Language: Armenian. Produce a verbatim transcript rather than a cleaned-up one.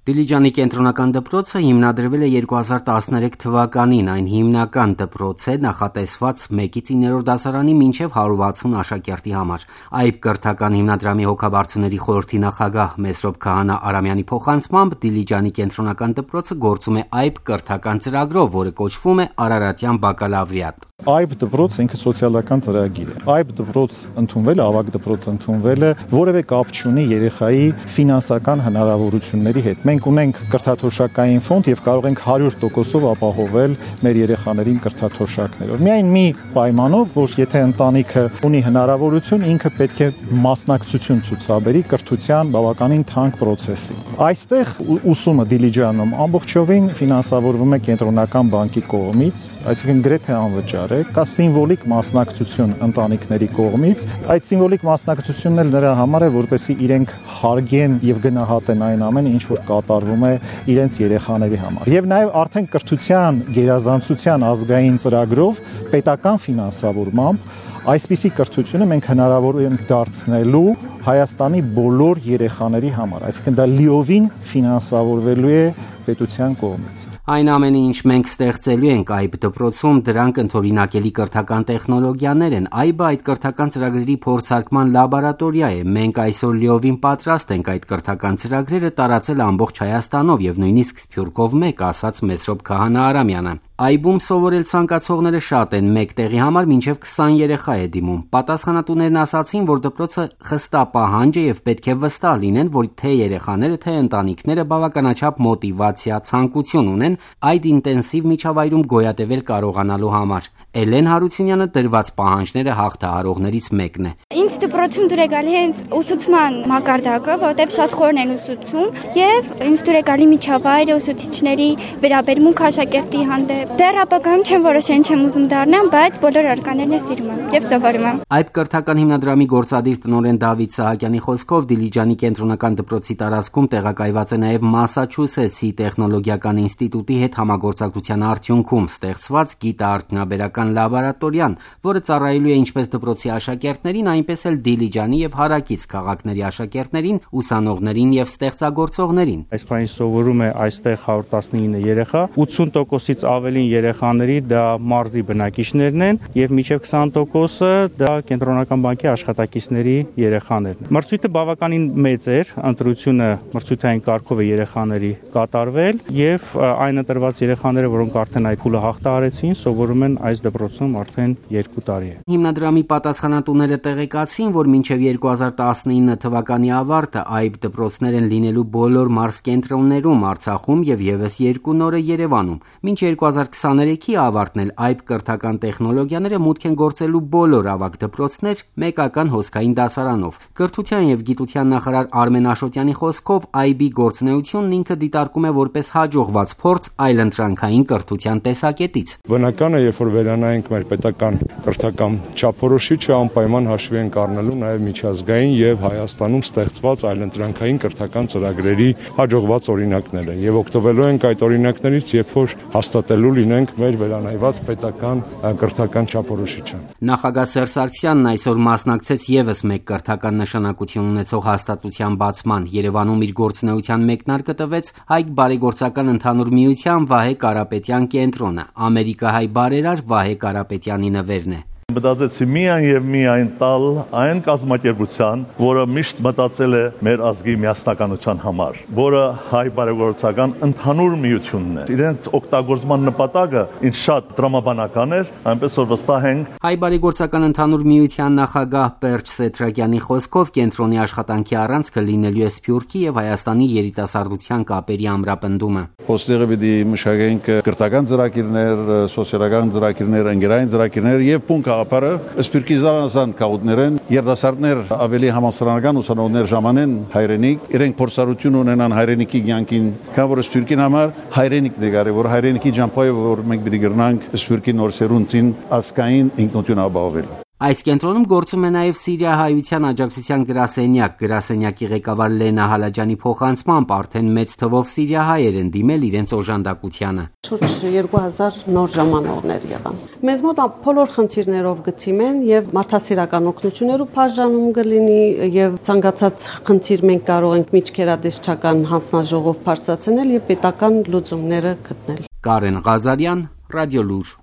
Դիլիջանի կենտրոնական դպրոցը հիմնադրվել է երկու հազար տասներեք թվականին, այն հիմնական դպրոց է նախատեսված մեկից իններորդ դասարանի մինչև հարյուր վաթսուն աշակերտի համար։ Այբ կրթական հիմնադրամի հոգաբարձուների խորհրդի նախագահ Մեսրոբ Քահանա Արամյանի փոխանցմամբ Դիլիջանի կենտրոնական դպրոցը գործում է այբ կրթական ծրագրով, որը կոչվում է Արարատյան բակալավրիատ։ Այբ դպրոց ինքը սոցիալական ծրագիր է։ Այբ դպրոց ընդունվելը, ավագ դպրոց ընդունվելը որևէ կապ չունի երեխայի ֆինանսական հնարավորությունների հետ։ Մենք ունենք կրթաթոշակային ֆոնդ եւ կարող ենք հարյուր տոկոսով ապահովել մեր երեխաներին կրթաթոշակներով։ Միայն մի պայմանով, որ եթե ընտանիքը ունի հնարավորություն, ինքը պետք է մասնակցություն ցուցաբերի կրթության բավականին թանկ process-ի։ Այստեղ ուսումը Դիլիջանում ամբողջովին ֆինանսավորվում է կենտրոնական բանկի կողմից, այսինքն գրեթե անվճար է, կա սիմվոլիկ մասնակցություն ընտանիքների կողմից։ Այդ սիմվոլիկ մասնակցությունն էլ նրա համար է, որպեսզի իրենք հարգեն եւ գնահատեն այն ամենը, ինչ որ կատարվում է իրենց երեխաների համար։ Եվ նաեւ արդեն կրթության գերազանցության ազգային ծրագրով պետական ֆինանսավորմամբ այսպիսի կրթությունը մենք հնարավոր ենք դարձնելու Հայաստանի բոլոր երեխաների համար, այսինքն դա լիովին ֆինանսավորվելու է պետության կողմից։ Այն ամենը, ինչ մենք ստեղծելու ենք այբ դպրոցում, դրանք ընդօրինակելի կրթական տեխնոլոգիաներ են։ Այբը այդ կրթական ծրագրերի փորձարկման լաբորատորիա է։ Մենք այսօր լիովին պատրաստ ենք այդ կրթական ծրագրերը տարածել ամբողջ Հայաստանով եւ նույնիսկ Սփյուռքով մեկ, ասաց Մեսրոբ Քահանա Արամյանը։ Այբում սովորել ցանկացողները շատ են, մեկ տեղի համար մինչև քսան երեխա է դիմում։ Պատասխանատուներն ասացին, որ դպրոցը խստա պահանջ է եւ պետք է վստահ լինեն, որ թե երեխաները, թե ընտանիքները բավականաչափ մոտիվացիա, ցանկություն ունեն այդ ինտենսիվ միջավայրում գոյատևել կարողանալու համար։ Էլեն Հարությունյանը դրված պահանջները հաղթահարողներից մեկն է։ Ինձ դպրոցում դուր է գալի հենց ուսուցման մակարդակը, որտեղ շատ խորն են ուսուցում եւ ինձ դուր է գալի միջավայրը, ուսուցիչների վերաբերմունք աշակերտի հանդեպ։ Դեռ ապագայում չեմ որոշել ինչ եմ ուզում դառնամ, բայց բոլոր արկաներն է սիրում եմ եւ սովորում եմ։ Այբ կրթական հիմնադրամի գործադիր տնօրեն Դավիթ Սահակյանի խոսքով Դիլիջանի կենտրոնական դպրոցի տարածքում տեղակայված է նաեւ Մասաչուսեթսի տեխնոլոգիական ինստիտուտի հետ համագործակցության արդյունքում ստեղծված գիտաարդյունաբերական լաբորատորիան, որը ծառայելու է ինչպես դպրոցի աշակերտներին, այնպես էլ Դիլիջանի եւ հարակից քաղաքների աշակերտներին, ուսանողներին եւ ստեղծագործողներին։ Այս բանի սովորում է այստեղ հարյուր տասնինը երեխա, ութսուն տոկոսից ավելի երեխաների դա մարզի բնակիչներն են եւ մինչեւ քսան տոկոսը դա կենտրոնական բանկի աշխատակիցների երեխաներն։ Մրցույթը բավականին մեծ էր, ընտրությունը մրցութային կարգով է երեխաների կատարվել եւ այն ընտրված երեխաները, որոնք արդեն այդ փուլը հաղթահարեցին, սովորում են այս դպրոցում արդեն երկու տարի է։ Հիմնադրամի պատասխանատուները տեղեկացրին, որ մինչև երկու հազար տասնինը թվականի ավարտը այբ դպրոցներ են լինելու բոլոր մարզկենտրոններում Արցախում եւ եւս երկու նորը Երևանում։ Մինչ երկու հազար քսաներեքի ավարտն էլ այբ կրթական տեխնոլոգիաները մուտք են գործելու բոլոր ավագ դպրոցներ մեկական հոսքային դասարանով։ Կրթության եւ գիտության նախարար Արմեն Աշոտյանի խոսքով այբի գործունեությունն ինքը դիտարկում է որպես հաջողված փորձ այլընտրանքային կրթության տեսակետից։ Բնական է, երբ որ վերանայենք մեր պետական կրթական չափորոշիչը, անպայման հաշվի ենք առնելու նաեւ միջազգային եւ Հայաստանում ստեղծված այլընտրանքային կրթական ծրագրերի հաջողված օրինակները եւ օգտվելու ենք այդ օրինակներից, երբ որ հաստատելու լինենք մեր վերանայված պետական կրթական չափորոշիչը։ Նախագահ Սերժ Սարգսյանն այսօր մասնակցեց եւս մեկ կրթական նշանակություն ունեցող հաստատության բացման։ Երևանում իր գործունեության մեկնարկը տվեց Հայք բարեգործական ընդհանուր միության Վահե Կարապետյան կենտրոնը։ Ամերիկահայ բարերար Վահե Կարապետյանի նվերն է։ Մտածեցի միայն եւ միայն տալ այն կազմակերպության, որը միշտ մտածել է մեր ազգի միասնականության համար, որը հայ բարեգործական ընդհանուր միությունն է։ Իրենց օգտագործման նպատակը ինչ շատ տրամաբանական էր, այնպես որ վստահ ենք։ Հայ բարեգործական ընդհանուր միության նախագահ Պերճ Սեթրակյանի խոսքով կենտրոնի աշխատանքի առանցքը լինելու է Սփյուռքի եւ Հայաստանի երիտասարդության կապերի ամրապնդումը։ Ոստեղը պիտի մշակենք կրթական ծրագիրներ, սոցիալական ծրագիրներ, ընկերային ծրագիրներ եւ փունք Ապարը Սփյուռքի զանազան կաուտներեն երդասարտներ ավելի համասարանական ուսանողներ ժամանեն հայրենիք, իրենք փորձառություն ունենան հայրենիքի կյանքին, քան որ Սփյուռքին համար հայրենիքն է գարի, որ հայրենիքի ջամփայը որ մենք պիտի գրնանք Սփյուռքի նոր սերունդին ասկային ինքնություն ապահովել։ Այս կենտրոնում գործում է նաև Սիրիահայության աջակցության գրասենյակ, գրասենյակի ղեկավար Լենա Հալաջյանի փոխանցմամբ արդեն մեծ թվով սիրիահայեր են դիմել իրենց օժանդակությանը։ Շուրջ երկու հազար նոր ժամանողներ եղան։ Մեզ մոտ բոլոր խնդիրներով գծիմ են եւ մարդասիրական օգնություններով բաժանում կլինի եւ ցանկացած խնդիր մենք կարող ենք միջկերադեսչական հանձնաժողով բարձրացնել եւ պետական լուծումները գտնել։ Կարեն Ղազարյան, Ռադիոլուր։